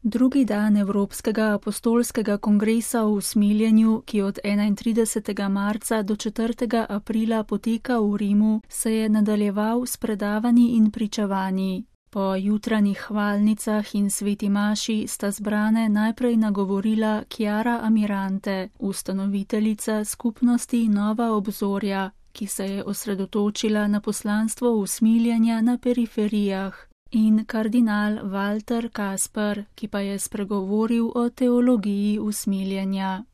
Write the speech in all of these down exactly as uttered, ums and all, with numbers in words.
Drugi dan Evropskega apostolskega kongresa v usmiljenju, ki od enaintridesetega marca do četrtega aprila poteka v Rimu, se je nadaljeval s predavanji in pričevanji. Po jutranjih hvalnicah in sveti maši sta zbrane najprej nagovorila Chiara Amirante, ustanoviteljica skupnosti Nova obzorja, ki se je osredotočila na poslanstvo usmiljenja na periferijah, in kardinal Walter Kasper, ki pa je spregovoril o teologiji usmiljenja.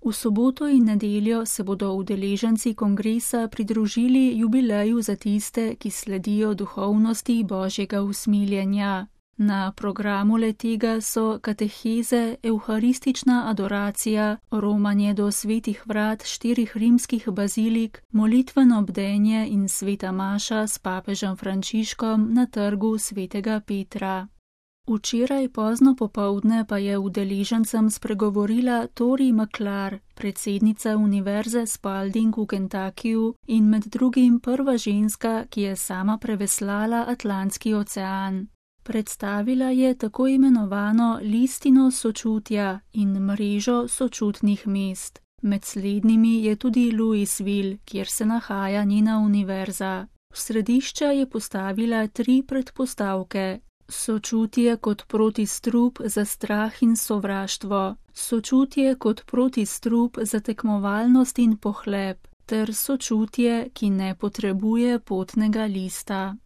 V soboto in nedeljo se bodo udeleženci kongresa pridružili jubileju za tiste, ki sledijo duhovnosti Božjega usmiljenja. Na programu le-tega so kateheze, evharistična adoracija, romanje do svetih vrat štirih rimskih bazilik, molitveno bdenje in sveta maša s papežem Frančiškom na trgu svetega Petra. Včeraj pozno popoldne pa je udeležencem spregovorila Tori Maklar, predsednica Univerze Spalding v Kentuckyju in med drugim prva ženska, ki je sama preveslala Atlantski ocean. Predstavila je tako imenovano listino sočutja in mrežo sočutnih mest. Med slednjimi je tudi Louisville, kjer se nahaja njena univerza. V središče je postavila tri predpostavke. Sočutje kot protistrup za strah in sovraštvo, sočutje kot protistrup za tekmovalnost in pohlep, ter sočutje, ki ne potrebuje potnega lista.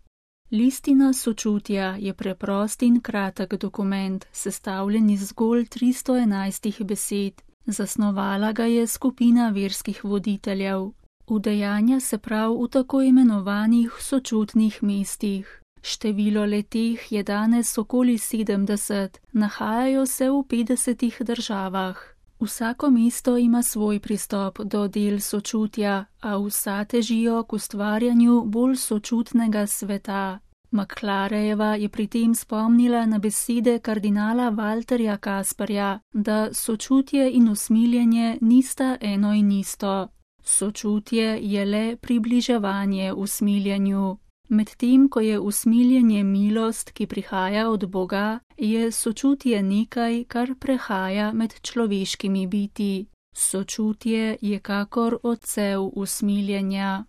Listina sočutja je preprost in kratek dokument, sestavljen iz zgolj tristo enajstih besed. Zasnovala ga je skupina verskih voditeljev. Udejanja se prav v tako imenovanih sočutnih mestih. Število leteh je danes okoli sedemdeset, nahajajo se v petdesetih državah. Vsako mesto ima svoj pristop do del sočutja, a vsa težijo k ustvarjanju bolj sočutnega sveta. Maklarejeva je pri tem spomnila na besede kardinala Walterja Kasperja, da sočutje in usmiljenje nista eno in isto. Sočutje je le približevanje usmiljenju. Medtem ko je usmiljenje milost, ki prihaja od Boga, je sočutje nekaj, kar prehaja med človeškimi biti. Sočutje je kakor odsev usmiljenja.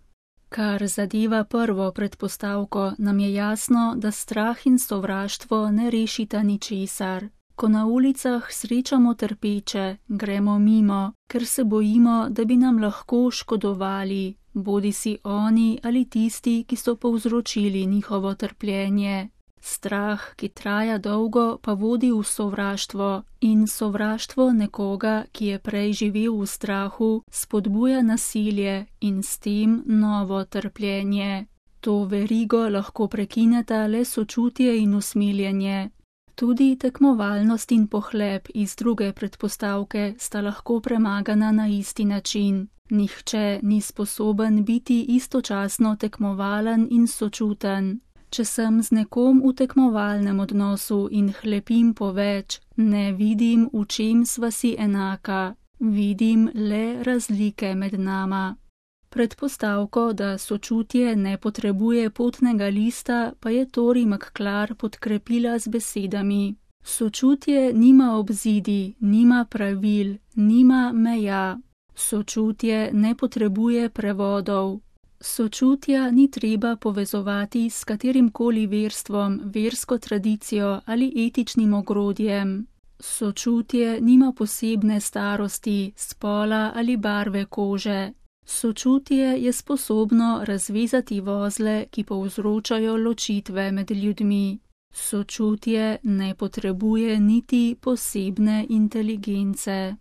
Kar zadeva prvo predpostavko, nam je jasno, da strah in sovraštvo ne rešita ničesar. Ko na ulicah srečamo trpeče, gremo mimo, ker se bojimo, da bi nam lahko škodovali, bodisi oni ali tisti, ki so povzročili njihovo trpljenje. Strah, ki traja dolgo, pa vodi v sovraštvo, in sovraštvo nekoga, ki je prej živel v strahu, spodbuja nasilje in s tem novo trpljenje. To verigo lahko prekineta le sočutje in usmiljenje. Tudi tekmovalnost in pohlep iz druge predpostavke sta lahko premagana na isti način. Nihče ni sposoben biti istočasno tekmovalen in sočuten. Če sem z nekom v tekmovalnem odnosu in hlepim po več, ne vidim, v čem sva si enaka, vidim le razlike med nama. Predpostavko, da sočutje ne potrebuje potnega lista, pa je Tori Maklar podkrepila z besedami. Sočutje nima obzidi, nima pravil, nima meja. Sočutje ne potrebuje prevodov. Sočutja ni treba povezovati s katerimkoli verstvom, versko tradicijo ali etičnim ogrodjem. Sočutje nima posebne starosti, spola ali barve kože. Sočutje je sposobno razvezati vozle, ki povzročajo ločitve med ljudmi. Sočutje ne potrebuje niti posebne inteligence.